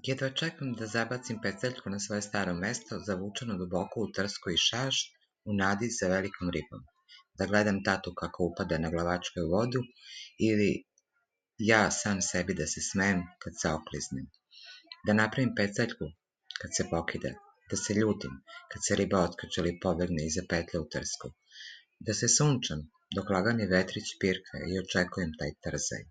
Jedva čekam da zabacim peceljku na svoje staro mesto, zavučeno duboko u trsku i šašt, u nadi za velikom ribom. Da gledam tatu kako upada na glavačke u vodu ili ja sam sebi da se smejem kad se okliznem. Da napravim peceljku kad se pokida, da se ljutim kad se riba otkače ili pobegne iza petlje u trsku. Da se sunčam dok lagani vetrić pirka i očekujem taj trzaj.